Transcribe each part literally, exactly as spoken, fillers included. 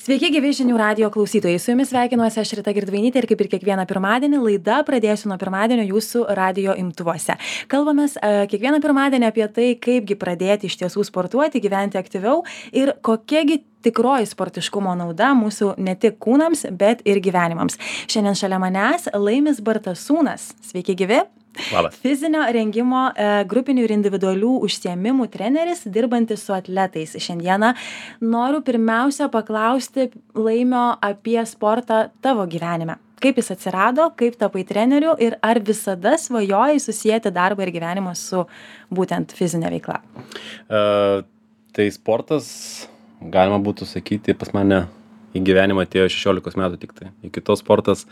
Sveiki, gyvi žinių radijo klausytojai. Su jumis sveikinuosi aš Rita Girdvainytė ir kaip ir kiekvieną pirmadienį laida pradėsiu nuo pirmadienio jūsų radijo imtuvuose. Kalbamės uh, kiekvieną pirmadienį apie tai, kaipgi pradėti iš tiesų sportuoti, gyventi aktyviau ir kokiagi tikroji sportiškumo nauda mūsų ne tik kūnams, bet ir gyvenimams. Šiandien šalia manęs Laimis Bartasūnas. Sveiki, gyvi. Labas. Fizinio rengimo e, grupinių ir individualių užsiėmimų treneris, dirbantis su atletais. Šiandieną noriu pirmiausia paklausti Laimio apie sportą tavo gyvenime. Kaip jis atsirado, kaip tapai treneriu ir ar visada svajojai susijęti darbą ir gyvenimą su būtent fizinė veikla? Uh, tai sportas, galima būtų sakyti, pas mane į gyvenimą atėjo šešiolikos metų tik tai. Iki to sportas,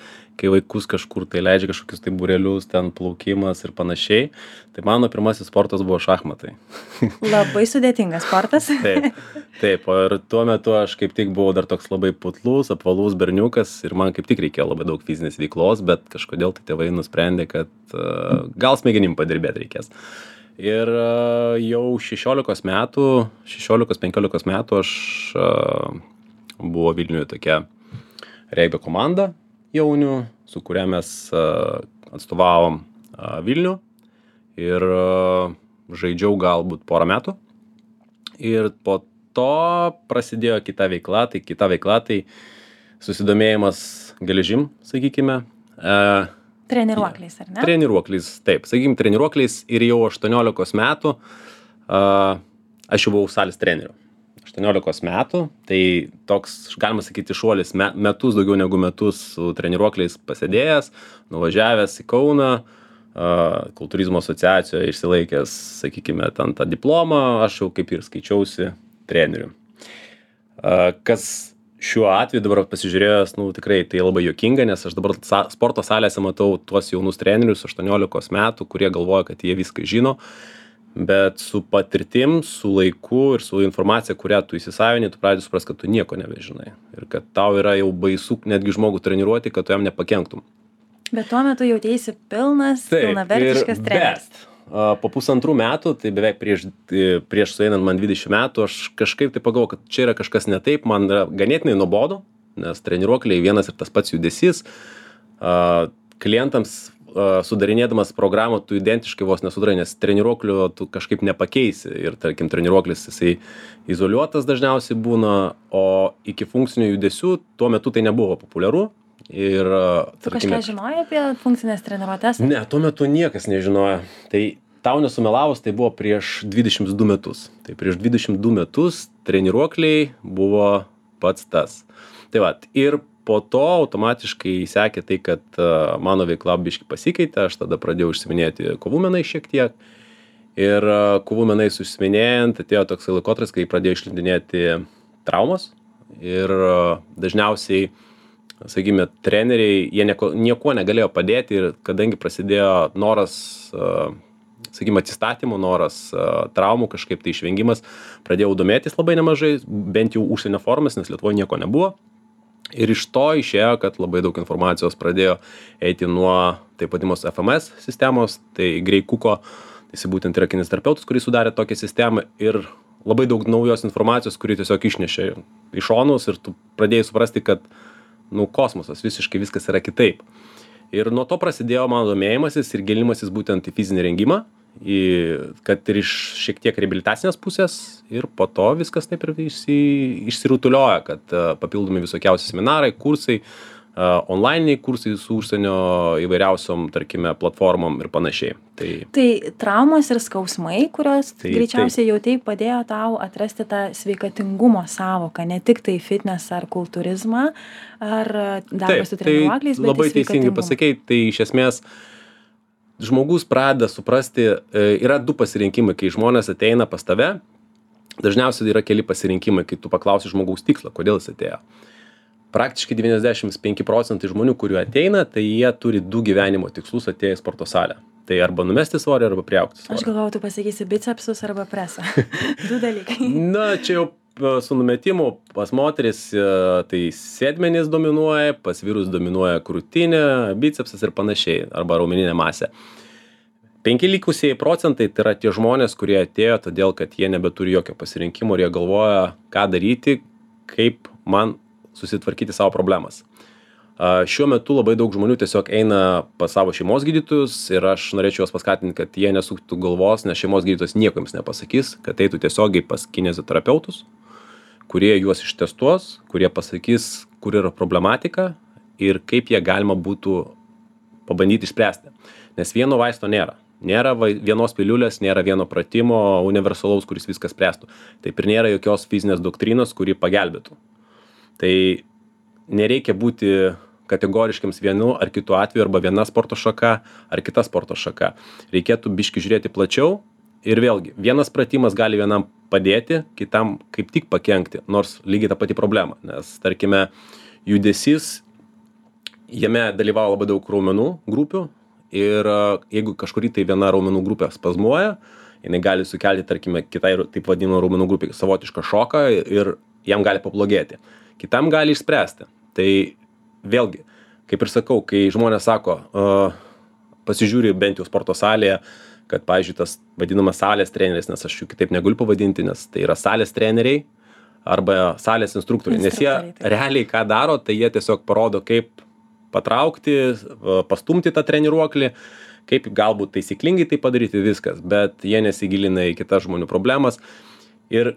kai vaikus kažkur tai leidžia kažkokius tai būrelius, ten plaukimas ir panašiai. Tai mano pirmasis sportas buvo šachmatai. Labai sudėtingas sportas. Taip, taip. Ir tuo metu aš kaip tik buvau dar toks labai putlus, apvalus berniukas ir man kaip tik reikėjo labai daug fizinės veiklos, bet kažkodėl tai tėvai nusprendė, kad uh, gal smegenim padirbėti reikės. Ir uh, jau šešiolikos metų, šešiolikos penkiolikos metų aš uh, buvo Vilniuje tokia regbio komanda jaunių, su kuria mes uh, atstovavom uh, Vilnių ir uh, žaidžiau galbūt porą metų. Ir po to prasidėjo kita veikla, tai kita veikla, tai susidomėjimas geležim, sakykime. Uh, Treniruokliais, ar ne? Treniruokliais, taip, sakykime, treniruokliais ir jau aštuoniolikos metų uh, aš jau buvau salės treneriu. aštuoniolikos metų, tai toks, galima sakyti, šuolis me, metus, daugiau negu metus su treniruokliais pasėdėjęs, nuvažiavęs į Kauną, uh, kultūrizmo asociacijoje išsilaikęs, sakykime, ten tą diplomą, aš jau kaip ir skaičiausi treneriu. Uh, kas šiuo atveju dabar pasižiūrėjęs, nu tikrai tai labai juokinga, nes aš dabar sa- sporto salėse matau tuos jaunus trenerius aštuoniolikos metų, kurie galvoja, kad jie viską žino. Bet su patirtim, su laiku ir su informacija, kurią tu įsisavini, tu pradedi suprast, kad tu nieko nebežinai. Ir kad tau yra jau baisu netgi žmogų treniruoti, kad tu jam nepakenktum. Bet tuo metu jautėsi pilnas, pilnavertiškas treneris. Bet uh, po pusantrų metų, tai beveik prieš, prieš sueinant man dvidešimt metų, aš kažkaip tai pagalvojau, kad čia yra kažkas ne taip, man yra ganėtinai nuobodu, nes treniruokliai vienas ir tas pats judesys. Uh, klientams sudarinėdamas programą tu identiškai vos nesudarai, nes treniruoklio tu kažkaip nepakeisi ir tarkim treniruoklis jisai izoliuotas dažniausiai būna, o iki funkcinių judesių tuo metu tai nebuvo populiaru. Ir, tu tarkime, kažką žinojai apie funkcinės treniruotės? Ne, tuo metu niekas nežinojo. Tai tau nesumelavus, tai buvo prieš dvidešimt du metus. Tai prieš dvidešimt du metus treniruokliai buvo pats tas. Tai va, ir po to automatiškai sekė tai, kad uh, mano veikla biškai pasikeitė, aš tada pradėjau užsiminėti kovų menais šiek tiek. Ir uh, kovų menais užsiminėjant, atėjo toks laikotarpis, kai pradėjau išlindinėti traumos. Ir uh, dažniausiai, sakykime, treneriai, jie nieko, nieko negalėjo padėti ir kadangi prasidėjo noras, uh, sakykime, atsistatymų, noras uh, traumų, kažkaip tai išvengimas, pradėjau domėtis labai nemažai, bent jau užsienio formas, nes Lietuvoje nieko nebuvo. Ir iš to išėjo, kad labai daug informacijos pradėjo eiti nuo taip vadimos F M S sistemos, tai Gray Cooko, tai jis būtent yra kineziterapeutas, kuris sudarė tokią sistemą ir labai daug naujos informacijos, kuri tiesiog išnešė iš šonus ir tu pradėjai suprasti, kad nu, kosmosas, visiškai viskas yra kitaip. Ir nuo to prasidėjo mano domėjimasis ir gilinimasis būtent į fizinį rengimą, į, kad ir iš šiek tiek reabilitacinės pusės ir po to viskas taip ir išsi, išsirutulioja, kad uh, papildomi visokiausi seminarai, kursai, uh, onlininiai kursai su užsienio įvairiausiom, tarkime, platformom ir panašiai. Tai, tai traumos ir skausmai, kurios tai, greičiausiai jau taip padėjo tau atrasti tą sveikatingumo savoką, ne tik tai fitness ar kultūrizmą, ar darbą su treniruokliais, bet labai teisingai pasakei, tai iš esmės žmogus pradeda suprasti, yra du pasirinkimai, kai žmonės ateina pas tave, dažniausiai yra keli pasirinkimai, kai tu paklausi žmogaus tikslą, kodėl jis atėjo. Praktiškai devyniasdešimt penki procentai žmonių, kurių ateina, tai jie turi du gyvenimo tikslus atėję į sporto salę. Tai arba numesti svorį, arba priaugti svorį. Aš galvojau, tu pasakysi bicepsus arba presą. Du dalykai. Na, čia jau su numetimu pas moteris tai sėdmenys dominuoja, pas vyrus dominuoja krūtinė, bicepsas ir panašiai, arba raumeninė masė. Penki likusieji procentai tai yra tie žmonės, kurie atėjo todėl, kad jie nebeturi jokio pasirinkimo ir jie galvoja, ką daryti, kaip man susitvarkyti savo problemas. Šiuo metu labai daug žmonių tiesiog eina pas savo šeimos gydytojus ir aš norėčiau juos paskatinti, kad jie nesuktų galvos, nes šeimos gydytojas nieko jums nepasakys, kad eitų tiesiogiai pas kineziterapeutus, kurie juos ištestuos, kurie pasakys, kur yra problematika ir kaip jie galima būtų pabandyti išspręsti. Nes vieno vaisto nėra. Nėra vienos piliulės, nėra vieno pratimo universalaus, kuris viską spręstų. Taip ir nėra jokios fizinės doktrinos, kuri pagelbėtų. Tai nereikia būti kategoriškiams vienu ar kitu atveju, arba viena sporto šaka, ar kita sporto šaka. Reikėtų biški žiūrėti plačiau ir vėlgi, vienas pratimas gali vienam padėti, kitam kaip tik pakenkti, nors lygiai ta pati problema. Nes, tarkime, judesys, jame dalyvauja labai daug raumenų grupių ir jeigu kažkurį tai viena raumenų grupė spazmuoja, jinai gali sukelti, tarkime, kitai taip vadinamo raumenų grupė savotišką šoką ir jam gali pablogėti. Kitam gali išspręsti. Tai vėlgi, kaip ir sakau, kai žmonės sako, uh, pasižiūri bent jau sporto salėje, kad, pavyzdžiui, tas vadinamas salės treneris, nes aš jų kitaip negaliu pavadinti, nes tai yra salės treneriai arba salės instruktoriai. Nes jie realiai ką daro, tai jie tiesiog parodo, kaip patraukti, pastumti tą treniruoklį, kaip galbūt taisyklingai tai padaryti, viskas, bet jie nesigilina į kitas žmonių problemas. Ir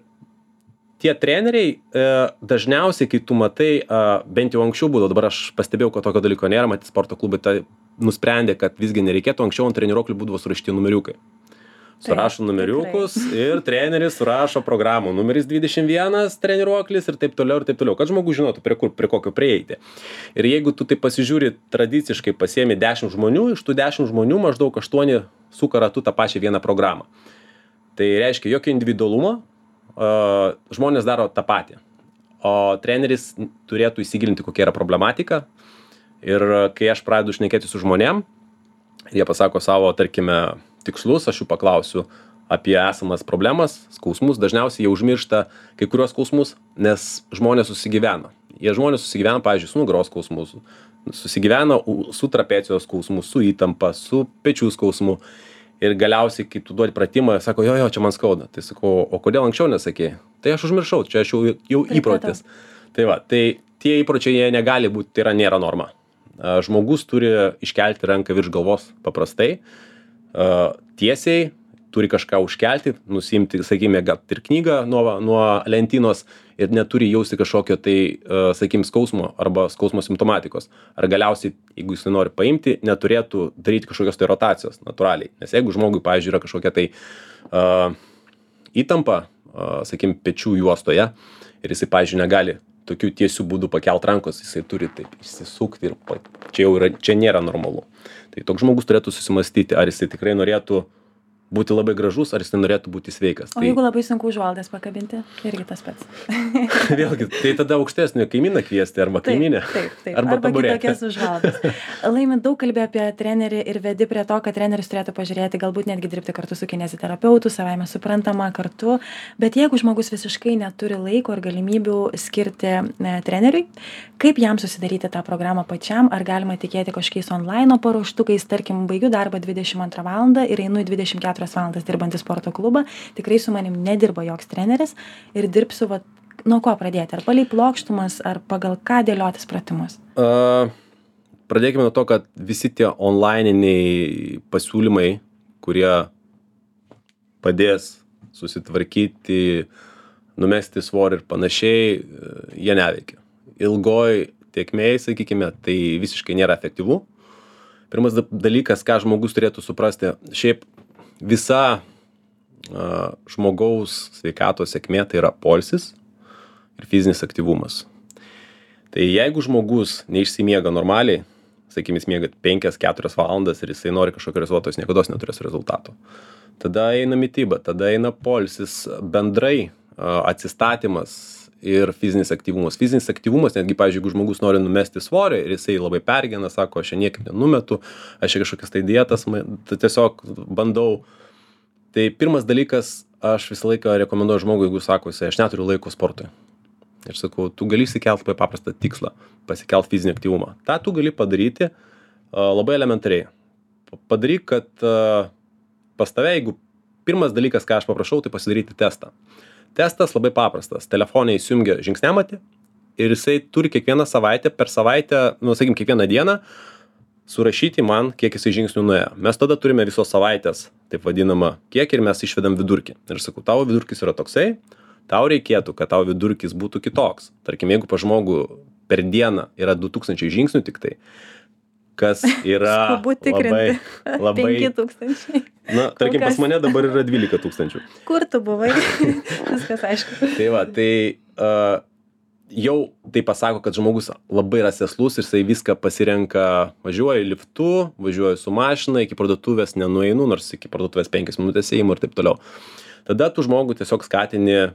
tie treneriai e, dažniausiai, kai tu matai, e, bent jau anksčiau būdavo, dabar aš pastebėjau, kad tokio dalyko nėra, matyti sporto klubai tai nusprendė, kad visgi nereikėtų, anksčiau ant treniruoklių būdavo surašyti numeriukai. Surašo tai, numeriukus tikrai. Ir treneris surašo programų, numeris dvidešimt vienas treniruoklis ir taip toliau ir taip toliau, kad žmogus žinotų, prie, kur, prie kokio prieiti. Ir jeigu tu tai pasižiūri tradiciškai, pasiemi dešimt žmonių, iš tų dešimt žmonių maždaug aštuoni suka ratu tą pačią vieną programą. Tai reiškia jokio individualumo, Uh, žmonės daro tą patį, o treneris turėtų įsigilinti, kokia yra problematika. Ir kai aš pradedu šnekėti su žmonėm, jie pasako savo, tarkime, tikslus, aš jų paklausiu apie esamas problemas, skausmus, dažniausiai jie užmiršta kai kurios skausmus, nes žmonės susigyvena. Jie žmonės susigyvena, pavyzdžiui, su nugaros skausmus, susigyvena su trapecijos skausmu, su įtampa, su pečių skausmu. Ir galiausiai, kai tu duodi pratimą, sako, jo, jo, čia man skauda. Tai sakau, o kodėl anksčiau nesakei? Tai aš užmiršau, čia aš jau, jau įprotis. Tai va, tai tie įpročiai jie negali būti, tai yra nėra norma. Žmogus turi iškelti ranką virš galvos paprastai, tiesiai, turi kažką užkelti, nusimti, sakykime, gal ir knygą nuo, nuo lentynos ir neturi jausti kažkokio tai, sakykime, skausmo arba skausmo simptomatikos. Ar galiausiai, jeigu jis nori paimti, neturėtų daryti kažkokios tai rotacijos natūraliai. Nes jeigu žmogui, pavyzdžiui, yra kažkokia tai uh, įtampa, uh, sakykime, pečių juostoje ir jisai, pavyzdžiui, negali tokių tiesių būdų pakelt rankos, jisai turi taip išsisukti ir pa, čia jau yra, čia nėra normalu. Tai toks žmogus turėtų susimastyti, ar jisai tikrai norėtų būti labai gražus, ar jis norėtų būti sveikas. O tai... jeigu labai sunku užvaldas pakabinti, irgi tas pats. Vėlgi, tai tada aukštesnį kaimyną kviesti, arba kaiminę. Taip, taip, taip. Arba, arba kitokias užvaldas. Laimi, daug kalbė apie trenerį ir vedi prie to, kad treneris turėtų pažiūrėti, galbūt netgi dirbti kartu su kineziterapeutu, savaime suprantama kartu. Bet jeigu žmogus visiškai neturi laiko ir galimybių skirti ne, treneriui, kaip jam susidaryti tą programą pačiam, ar galima tikėti kažkokiais online paruoštukais, tarkim, baigiu darbą dvidešimt antrą valandą ir einu į dvidešimt keturias valandas dirbantį sporto klubą, tikrai su manim nedirba joks treneris ir dirbsiu, va, nuo ko pradėti, ar palei plokštumas, ar pagal ką dėliotis pratimus? Uh, pradėkime nuo to, kad visi tie online'iniai pasiūlymai, kurie padės susitvarkyti, numesti svorį ir panašiai, jie neveikia. Ilgoj tėkmėj, sakykime, tai visiškai nėra efektyvu. Pirmas dalykas, ką žmogus turėtų suprasti, šiaip visa uh, žmogaus sveikatos sėkmė tai yra poilsis ir fizinis aktyvumas. Tai jeigu žmogus neišsimiega normaliai, sakykime, jis miega penkias keturias valandas ir jisai nori kažkokio rezultato, jis niekados neturės rezultato. Tada eina mityba, tada eina poilsis, bendrai uh, atsistatymas ir fizinis aktyvumas. Fizinis aktyvumas, netgi, pavyzdžiui, jeigu žmogus nori numesti svorį ir jisai labai pergena, sako, aš čia niekaip nenumetu, aš čia kažkokias tai dietas, tai tiesiog bandau. Tai pirmas dalykas, aš visą laiką rekomenduoju žmogui, jeigu sako, jisai, aš neturiu laiko sportui. Ir sakau, tu gali įsikelti labai paprastą tikslą, pasikelt fizinį aktyvumą. Ta tu gali padaryti uh, labai elementariai. Padaryk, kad uh, pas tave, jeigu pirmas dalykas, ką aš paprašau, tai pasidaryti testą. Testas labai paprastas. Telefone įsijungia žingsniamatį ir jisai turi kiekvieną savaitę, per savaitę, nu, sakykim, kiekvieną dieną surašyti man, kiek jisai žingsnių nuėjo. Mes tada turime visos savaitės, taip vadinama, kiek ir mes išvedam vidurkį. Ir sakau, tavo vidurkis yra toksai, tau reikėtų, kad tavo vidurkis būtų kitoks. Tarkim, jeigu pa žmogų per dieną yra du tūkstančiai žingsnių tik tai, kas yra labai, labai... penki tūkstančiai. Na, tarkim, pas mane dabar yra dvylika tūkstančių. Kur tu buvai? Viskas aišku. Tai va, tai uh, jau tai pasako, kad žmogus labai yra sėslus ir jisai viską pasirenka, važiuoja liftu, važiuoja su mašina, iki parduotuvės nenueinu, nors iki parduotuvės penkias minutės ėjimo ir taip toliau. Tada tu žmogų tiesiog skatini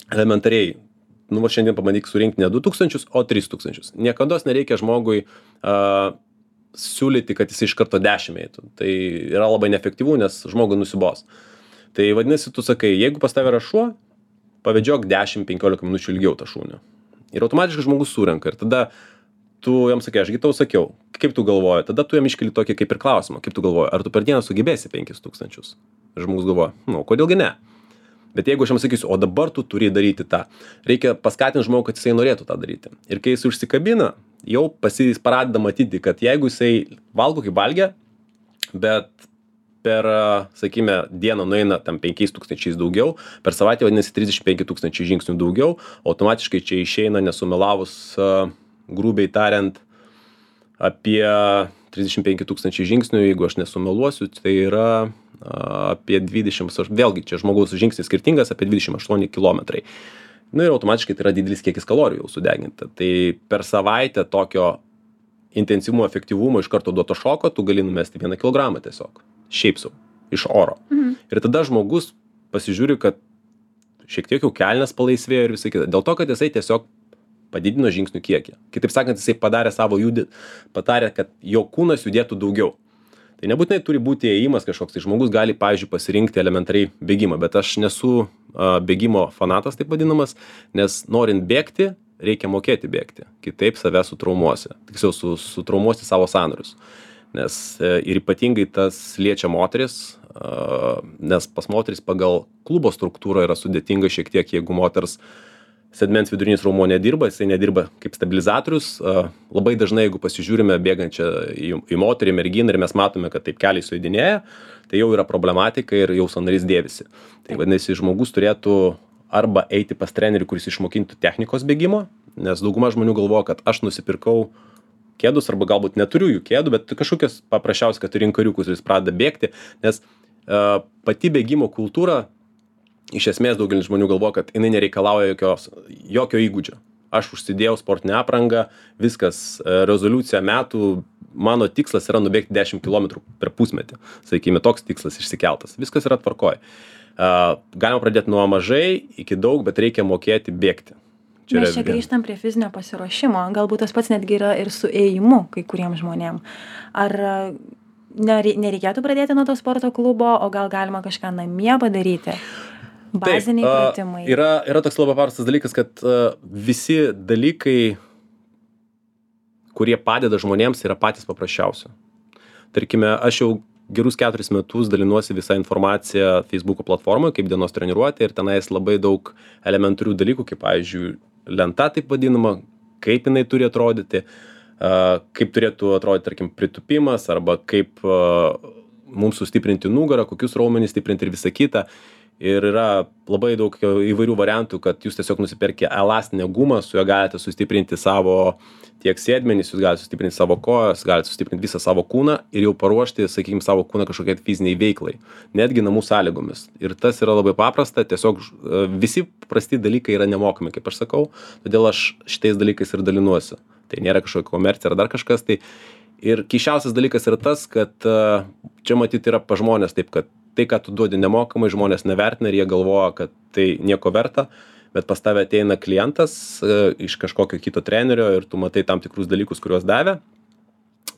elementariai. Nu, va šiandien pabandyk surinkti ne du tūkstančius, o tris tūkstančius. Niekados nereikia žmogui uh, siūlyti, kad jis iš karto dešimt eitų. Tai yra labai neefektyvu, nes žmogui nusibos. Tai vadinasi, tu sakai, jeigu pas tave yra šuo, pavedžiok dešimt penkiolika minučių ilgiau tą šunį. Ir automatiškai žmogus surenka. Ir tada tu jam sakai, ašgi tau sakiau, kaip tu galvoji. Tada tu jam iškeli tokį kaip ir klausimą, kaip tu galvoji, ar tu per dieną sugebėsi penkis tūkstančius. Ir žmogus galvoja, nu, kodėlgi ne? Bet jeigu aš jam sakysiu, o dabar tu turi daryti tą, reikia paskatinti žmogų, kad jisai norėtų tą daryti. Ir kai jis užsikabina, jau pasis pradeda matyti, kad jeigu jisai valgo kaip valgia, bet per, sakykime, dieną nueina tam penkiais tūkstančiais daugiau, per savaitę vadinasi trisdešimt penki tūkstančiai žingsnių daugiau, automatiškai čia išeina, nesumelavus, grubiai tariant, apie trisdešimt penki tūkstančiai žingsnių, jeigu aš nesumeluosiu, tai yra apie dvidešimt, vėlgi čia žmogaus žingsnis skirtingas, apie dvidešimt aštuoni kilometrai. Nu ir automatiškai tai yra didelis kiekis kalorijų jau sudeginta. Tai per savaitę tokio intensyvumo, efektyvumo iš karto duoto šoko tu gali numesti vieną kilogramą tiesiog. Šiaip sau, iš oro. Mhm. Ir tada žmogus pasižiūri, kad šiek tiek jau kelnes palaisvėjo ir visai kita. Dėl to, kad jisai tiesiog padidino žingsnių kiekį. Kitaip sakant, jisai padarė savo judį, padarė, kad jo kūnas judėtų daugiau. Tai nebūtinai turi būti ėjimas kažkoks, tai žmogus gali, pavyzdžiui, pasirinkti elementariai bėgimą, bet aš nesu a, bėgimo fanatas, taip vadinamas, nes norint bėgti, reikia mokėti bėgti, kitaip save sutraumuosi, tiksliau su, sutraumuosi savo sąnarius, nes e, ir ypatingai tas liečia moteris, a, nes pas moteris pagal klubo struktūrą yra sudėtinga šiek tiek, jeigu moters sedmens vidurinis raumuo nedirba, jisai nedirba kaip stabilizatorius. Labai dažnai, jeigu pasižiūrime bėgančią į, į moterį, merginą ir mes matome, kad taip keliai sujudinėja, tai jau yra problematika ir jau sąnarys dėvisi. Tai vadinasi, žmogus turėtų arba eiti pas trenerį, kuris išmokintų technikos bėgimo, nes dauguma žmonių galvoja, kad aš nusipirkau kėdus arba galbūt neturiu jų kėdų, bet kažkokios paprasčiausiai, kad turi kariukus ir jis pradeda bėgti, nes uh, pati bėgimo kultūra iš esmės daugelis žmonių galvoja, kad jinai nereikalauja jokios, jokio įgūdžio. Aš užsidėjau sportinę aprangą, viskas, rezoliucija metų, mano tikslas yra nubėgti dešimt kilometrų per pusmetį. Sakykime, toks tikslas išsikeltas. Viskas yra tvarkoj. Galima pradėti nuo mažai iki daug, bet reikia mokėti bėgti. Čia Mes čia grįžtam prie fizinio pasiruošimo. Galbūt tas pats netgi yra ir su ėjimu kai kuriems žmonėm. Ar nereikėtų pradėti nuo to sporto klubo, o gal galima kažką namie padaryti? Baziniai Taip, pratimai. Yra, yra toks labai paprastas dalykas, kad uh, visi dalykai, kurie padeda žmonėms, yra patys paprasčiausi. Tarkime, aš jau gerus keturis metus dalinuosi visą informaciją Facebook'o platformoje, kaip dienos treniruotė, ir tenais labai daug elementarių dalykų, kaip, pavyzdžiui, lenta taip vadinama, kaip jinai turi atrodyti, uh, kaip turėtų atrodyti, tarkim, pritupimas, arba kaip uh, mums sustiprinti nugarą, kokius raumenis stiprinti ir visą kitą. Ir yra labai daug įvairių variantų, kad jūs tiesiog nusipirkė elastinę gumą, su juo galite sustiprinti savo tiek sėdmenis, jūs galite sustiprinti savo kojas, galite sustiprinti visą savo kūną ir jau paruošti, sakykime, savo kūną kažkokiai fiziniai veiklai, netgi namų sąlygomis. Ir tas yra labai paprasta, tiesiog visi prasti dalykai yra nemokami, kaip aš sakau, todėl aš šitais dalykais ir dalinuosi. Tai nėra kažkokia komercija ar dar kažkas. Tai ir keisčiausias dalykas yra tas, kad čia matyti yra pa žmonės taip, kad tai, ką tu duodi nemokamai, žmonės nevertina ir jie galvoja, kad tai nieko verta, bet pas tave ateina klientas e, iš kažkokio kito trenerio ir tu matai tam tikrus dalykus, kuriuos davė.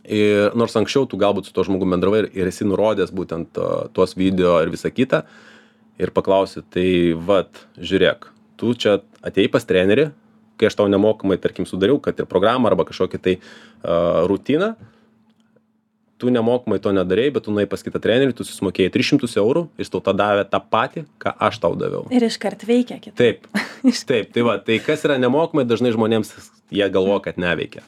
Ir nors anksčiau tu galbūt su to žmogum bendravai ir, ir esi nurodęs būtent uh, tuos video ir visą kitą ir paklausi, tai vat, žiūrėk, tu čia atėjai pas trenerį, kai aš tau nemokamai, tarkim, sudariau, kad ir programą arba kažkokią tai uh, rutiną, ir tu matai tam tikrus dalykus, kuriuos davė. Ir nors anksčiau tu galbūt su to žmogum bendravai ir, ir esi nurodęs būtent uh, tuos video ir visą kitą ir paklausi, tai vat, žiūrėk, tu čia atėjai pas trenerį, kai aš tau nemokamai, tarkim, sudariau, kad ir programą arba kažkokį tai uh, rutiną, tu nemokamai to nedarei, bet tu nuėjai pas kitą trenerį, tu susimokėjai tris šimtus eurų, jis tau tą davė tą patį, ką aš tau daviau. Ir iškart veikia kitą. Taip, taip, tai va, tai kas yra nemokamai, dažnai žmonėms jie galvoja, kad neveikia.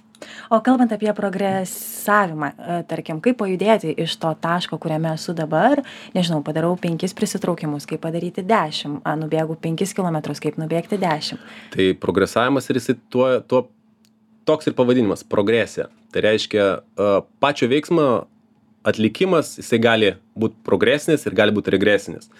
O kalbant apie progresavimą, tarkim, kaip pajudėti iš to taško, kuriame esu dabar, nežinau, padarau penkis prisitraukimus, kaip padaryti dešimt, a, nubėgu penkis kilometrus, kaip nubėgti dešimt. Tai progresavimas ir jisai tuo, tuo toks ir pavadinimas – progresija. Tai reiškia, pačio veiksmo atlikimas, jisai gali būti progresinis ir gali būti regresinis.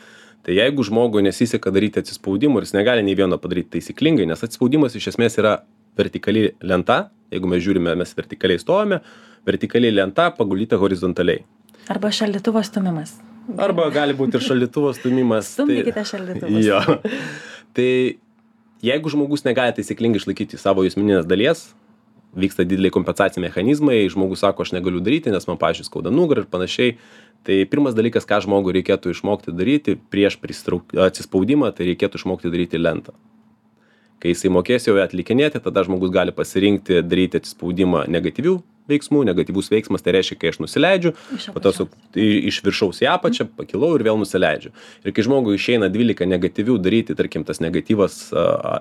Tai jeigu žmogui nesiseka daryti atsispaudimų ir jis negali nei vieno padaryti taisyklingai, nes atsispaudimas iš esmės yra vertikali lenta, jeigu mes žiūrime, mes vertikaliai stovame, vertikaliai lenta paguldyta horizontaliai. Arba šaldytuvo stumimas. Arba gali būti ir šaldytuvo stumimas. Stumdykite šaldytuvus. Jo. Tai jeigu žmogus negali taisyklingai išlaikyti savo jusmeninės dalies, vyksta dideliai kompensaciniai mechanizmai, žmogus sako, aš negaliu daryti, nes man, pavyzdžiui, skauda nugarą ir panašiai. Tai pirmas dalykas, ką žmogui reikėtų išmokti daryti prieš pristrauk... atsispaudimą, tai reikėtų išmokti daryti lentą. Kai jisai mokės jau atlikinėti, tada žmogus gali pasirinkti daryti atsispaudimą negatyvių veiksmų. Negatyvus veiksmas tai reiškia, kai aš nusileidžiu, po to su, iš viršaus į apačią, pakilau ir vėl nusileidžiu. Ir kai žmogui išeina dvylika negatyvių daryti, tarkim, tas negatyvas,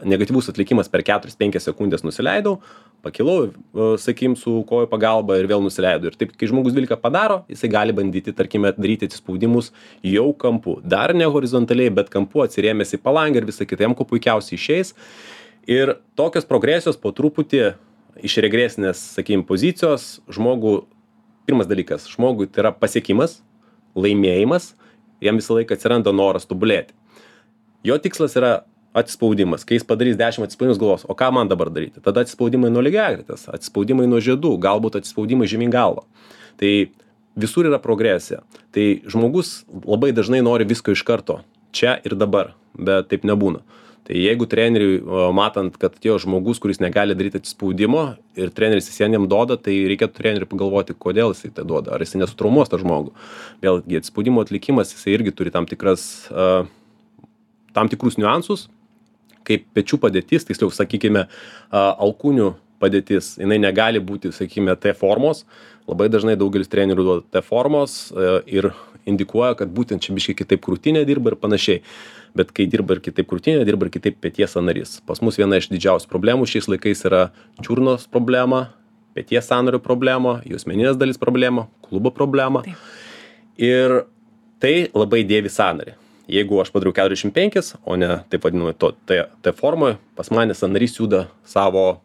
negatyvus atlikimas per keturias penkias sekundės nusileidau, pakilau, sakykim, su kojų pagalba ir vėl nusileidau. Ir taip, kai žmogus dvylika padaro, jisai gali bandyti, tarkime, daryti atsispaudimus jau kampu. Dar ne horizontaliai, bet kampu atsirėmęs į palangę ir visą kitą, jam kuo puikiausiai išeis. Ir tokios progresijos po truputį iš regresinės, sakykime, pozicijos žmogų, pirmas dalykas, žmogui tai yra pasiekimas, laimėjimas, jam visą laiką atsiranda noras tobulėti. Jo tikslas yra atsispaudimas. Kai jis padarys dešimt atsispaudimus, galvos, o ką man dabar daryti? Tada atsispaudimai nuo lygiagretės, atsispaudimai nuo žiedų, galbūt atsispaudimai žemyn galva. Tai visur yra progresija. Tai žmogus labai dažnai nori visko iš karto, čia ir dabar, bet taip nebūna. Tai jeigu treneriui, matant, kad jo žmogus, kuris negali daryti atsispaudimo ir treneris jis jam duoda, tai reikėtų treneriui pagalvoti, kodėl jisai tai duoda, ar jisai nesutraumuos tą žmogų. Vėlgi, atsispaudimo atlikimas, jisai irgi turi tam tikras, uh, tam tikrus niuansus, kaip pečių padėtis, tiksliau, sakykime, uh, alkūnių padėtis, jinai negali būti, sakykime, T formos. Labai dažnai daugelis trenerių duoda T formos uh, ir indikuoja, kad būtent čia biškai kitaip krūtinė dirba ir panašiai. Bet kai dirba ir kitaip krūtinė, dirba ir kitaip peties sąnarys. Pas mus viena iš didžiausių problemų šiais laikais yra čiurnos problema, peties sąnario problema, juosmeninės dalis problema, klubo problema. Taip. Ir tai labai dėvi sąnarį. Jeigu aš padariau keturiasdešimt penkis, o ne taip vadinamai to T, T formoje, pas mane sąnarys juda savo,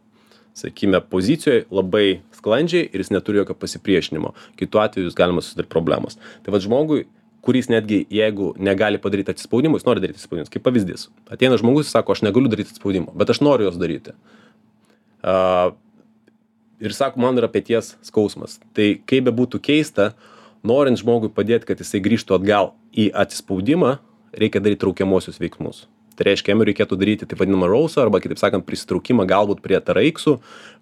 sakykime, pozicijoje labai sklandžiai ir jis neturi jokio pasipriešinimo. Kitu atveju jūs galima susidaryti problemos. Tai vad žmogui, kuris netgi, jeigu negali padaryti atsispaudimų, jis nori daryti atsispaudimų. Kaip pavyzdys. Ateina žmogus ir sako, aš negaliu daryti atsispaudimų, bet aš noriu jos daryti. Uh, ir sako, man yra peties skausmas. Tai kaip be būtų keista, norint žmogui padėti, kad jisai grįžtų atgal į atsispaudimą, reikia daryti traukiamosius veiksmus. Tai reiškia, jam reikėtų daryti taip vadinamą rausą, arba kitaip sakant, prisitraukimą galbūt prie taraiksų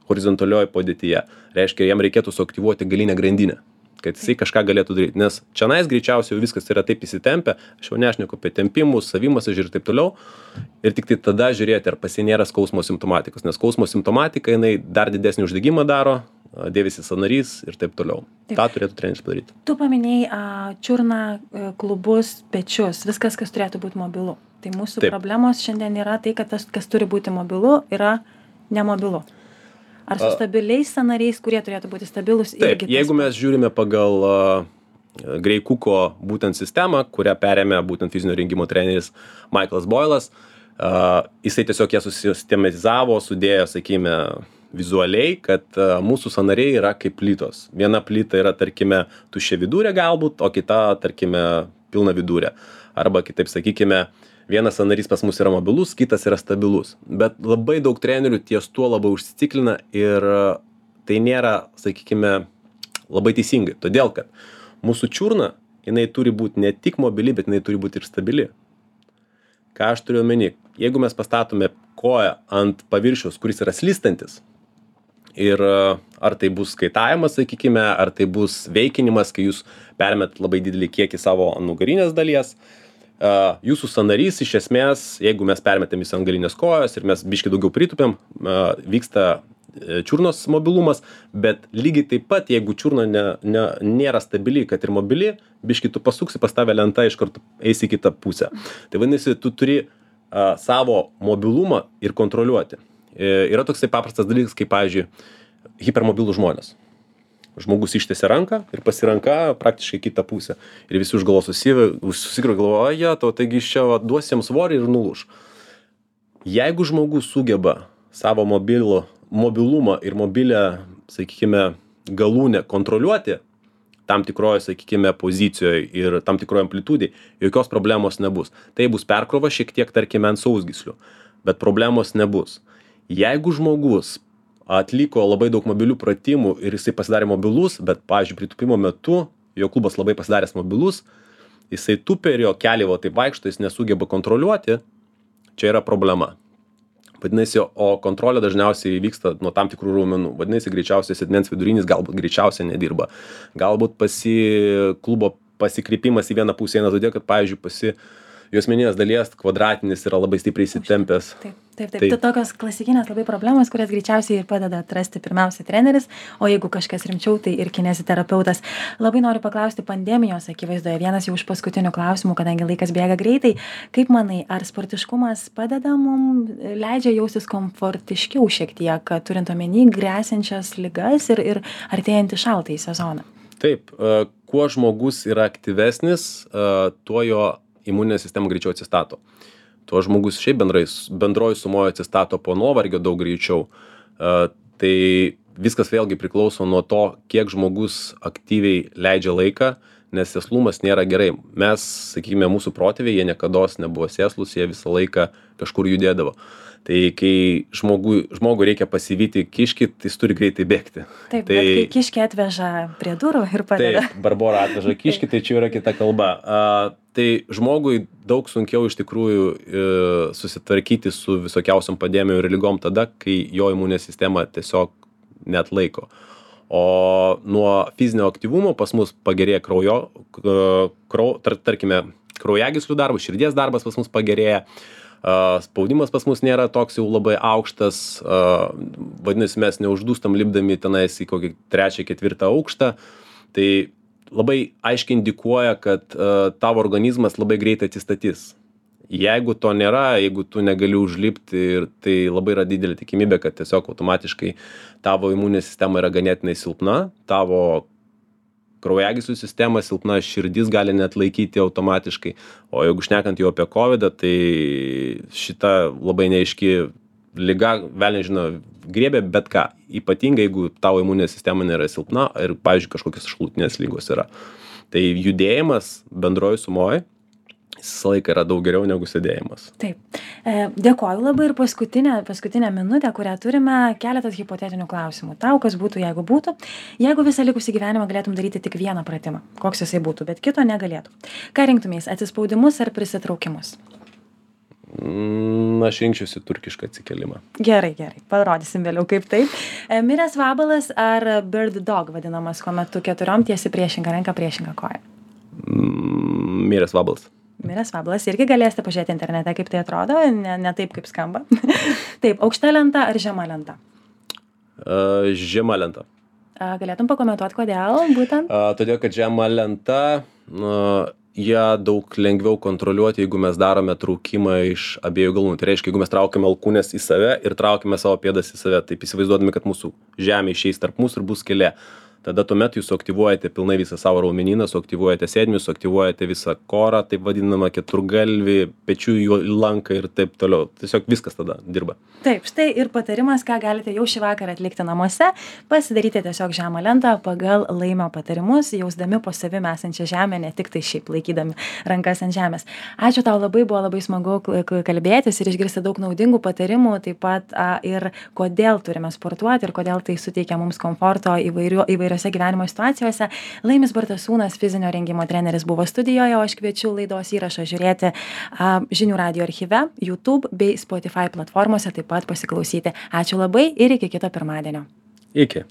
horizontalioje padėtyje. Reiškia, jam reikėtų suaktyvuoti galinę grandinę, kad jisai kažką galėtų daryti. Nes čionais greičiausiai viskas yra taip įsitempę, aš jau nešneku apie tempimus, savimasažį ir taip toliau. Ir tik tai tada žiūrėti, ar pas jį nėra skausmo simptomatikos. Nes skausmo simptomatika, jinai dar didesnį uždegimą daro, dėvisi sąnarys ir taip toliau. Taip. Ta turėtų treneris padaryti. Tu paminėjai a, čiurną, klubus, pečius, viskas, kas turėtų būti mobilu. Tai mūsų taip. Problemos šiandien yra tai, kad tas, kas turi būti mobilu, yra nemobilu. Ar su stabiliais sąnariais, kurie turėtų būti stabilus? Taip, jeigu mes žiūrime pagal uh, Gray Cooko būtent sistemą, kurią perėmė būtent fizinio rengimo treneris Michaelas Boylas, uh, jisai tiesiog ją susistematizavo, sudėjo, sakykime, vizualiai, kad uh, mūsų sąnariai yra kaip plytos. Viena plyta yra, tarkime, tuščia vidurė galbūt, o kita, tarkime, pilna vidurė. Arba kitaip sakykime, vienas sąnarys pas mus yra mobilus, kitas yra stabilus. Bet labai daug trenerių ties tuo labai užsiciklina ir tai nėra, sakykime, labai teisingai. Todėl, kad mūsų čiurna, jinai turi būti ne tik mobili, bet jinai turi būti ir stabili. Ką aš turiu omeny? Jeigu mes pastatome koją ant paviršiaus, kuris yra slystantis, ir ar tai bus kaitavimas, sakykime, ar tai bus veikinimas, kai jūs permet labai didelį kiekį savo nugarinės dalies, Uh, jūsų sąnarys iš esmės, jeigu mes permetėm į ant galinės kojos ir mes biškai daugiau pritupėm, uh, vyksta čiurnos mobilumas, bet lygiai taip pat, jeigu čiurna ne, ne, nėra stabili, kad ir mobili, biškai tu pasuksi, pas tave lenta iš karto eis į kitą pusę. Tai vadinasi, tu turi a, savo mobilumą ir kontroliuoti. E, yra toksai paprastas dalykas, kaip, pavyzdžiui, hipermobilų žmonės. Žmogus ištiesia ranką ir pasiranka praktiškai kitą pusę. Ir visi už galvos susikro galvoja, to taigi iš čia va, duos jiems svorį ir nulūž. Jeigu žmogus sugeba savo mobilų, mobilumą ir mobilę, sakykime, galūnę kontroliuoti tam tikroje, sakykime, pozicijoje ir tam tikroje amplitudėje, jokios problemos nebus. Tai bus perkrova šiek tiek, tarkime, ant sausgyslių, bet problemos nebus. Jeigu žmogus atliko labai daug mobilių pratimų ir jisai pasidarė mobilus, bet, pavyzdžiui, pritūpimo metu jo klubas labai pasidaręs mobilus, jisai tupia ir jo keliai va taip vaikšto, jis nesugeba kontroliuoti, čia yra problema. Vadinasi, o kontrolė dažniausiai vyksta nuo tam tikrų raumenų. Vadinasi, greičiausiai sėdmens vidurinis galbūt greičiausiai nedirba. Galbūt pasi klubo pasikreipimas į vieną pusę eina todėl, kad, pavyzdžiui, pasi juosmeninės dalies kvadratinis yra labai stipriai įsitempęs. Taip, taip, taip. Tai tokios klasikinės labai problemos, kurias greičiausiai ir padeda atrasti pirmiausia treneris, o jeigu kažkas rimčiau, tai ir kineziterapeutas. Labai noriu paklausti pandemijos akivaizdoje, vienas jau iš paskutinių klausimų, kadangi laikas bėga greitai. Kaip manai, ar sportiškumas padeda mums, leidžia jaustis komfortiškiau šiek tiek, turint omeny gresiančias ligas ir, ir artėjantį šaltąjį sezoną? Taip, kuo žmogus yra aktyvesnis, tuo jo imuninė sistema greičiau atsistato. Tuo žmogus šiaip bendrai, bendroji sumoje atsistato po nuovargio daug greičiau. Uh, tai viskas vėlgi priklauso nuo to, kiek žmogus aktyviai leidžia laiką, nes sėslumas nėra gerai. Mes, sakykime, mūsų protėviai, jie niekados nebuvo sėslus, jie visą laiką kažkur judėdavo. Tai kai žmogui, žmogui reikia pasivyti kiškį, tai jis turi greitai bėgti. Taip, tai, bet kai kiškį atveža prie durų ir padeda. Taip, Barbora atveža kiškį, tai čia yra kita kalba. Uh, tai žmogui daug sunkiau iš tikrųjų uh, susitvarkyti su visokiausiom pandemijom ir ligom tada, kai jo imuninė sistema tiesiog neatlaiko. O nuo fizinio aktyvumo pas mus pagerėja kraujo, uh, krau, tar, tarkime, kraujagyslių darbas, širdies darbas pas mus pagerėja. Uh, spaudimas pas mus nėra toks jau labai aukštas, uh, vadinasi, mes neuždūstam lipdami tenais į kokį trečią, ketvirtą aukštą. Tai labai aiškiai indikuoja, kad uh, tavo organizmas labai greitai atsistatys. Jeigu to nėra, jeigu tu negali užlipti, ir tai labai yra didelė tikimybė, kad tiesiog automatiškai tavo imuninė sistema yra ganėtinai silpna, tavo kraujagyslių sistema silpna, širdis gali net laikyti automatiškai. O jeigu šnekant jau apie kovidą, tai šita labai neaiški liga, vėl nežino, griebė bet ką. Ypatingai, jeigu tavo imuninė sistema nėra silpna ir, pavyzdžiui, kažkokios šalutinės lygos yra. Tai judėjimas bendroji sumoje visą laiką yra daug geriau negu sėdėjimas. Taip. E, dėkoju labai ir paskutinę, paskutinę minutę, kurią turime, keletas hipotetinių klausimų. Tau, kas būtų, jeigu būtų. Jeigu visą likusį gyvenimą galėtum daryti tik vieną pratimą, koks jisai būtų, bet kito negalėtų. Ką rinktumės, atsispaudimus ar prisitraukimus? Mm, aš rinkčiausi turkišką atsikėlimą. Gerai, gerai. Parodysim vėliau, kaip taip. E, miręs vabalas ar bird dog vadinamas, kuomet tu keturiom tiesi priešingą ranką, priešingą koją? Mm, miręs vabalas. Miręs vabalas. Irgi galėsite pažiūrėti internete, kaip tai atrodo, ne, ne taip, kaip skamba. Taip, aukšta lenta ar žema lenta? Uh, žema lenta. A, galėtum pakomentuoti, kodėl būtent? Uh, todėl, kad žema lenta, uh, ją daug lengviau kontroliuoti, jeigu mes darome traukimą iš abiejų galūnių. Tai reiškia, jeigu mes traukiame alkūnes į save ir traukiame savo pėdas į save, taip įsivaizduodami, kad mūsų žemė išeis tarp mūsų ir bus skylė. Tada tuomet jūs suaktyvuojate pilnai visą savo raumenyną, suaktyvuojate sėdmenis, suaktyvuojate visą korą, taip vadinamą keturgalvį, pečių lanką ir taip toliau. Tiesiog viskas tada dirba. Taip, štai ir patarimas, ką galite jau šį vakarą atlikti namuose, pasidaryti tiesiog žemą lentą pagal Laimio patarimus, jausdami po savimi esančią žemę, ne tik tai šiaip laikydami rankas ant žemės. Ačiū tau labai, buvo labai smagu kalbėtis ir išgirsti daug naudingų patarimų, taip pat a, ir kodėl turime sportuoti ir kodėl tai suteikia mums komforto įvairių, įvairiose gyvenimo situacijose. Laimis Bartasūnas, fizinio rengimo treneris, buvo studijoje, o aš kviečiu laidos įrašą žiūrėti a, Žinių radijo archyve, YouTube bei Spotify platformose, taip pat pasiklausyti. Ačiū labai ir iki kito pirmadienio. Iki.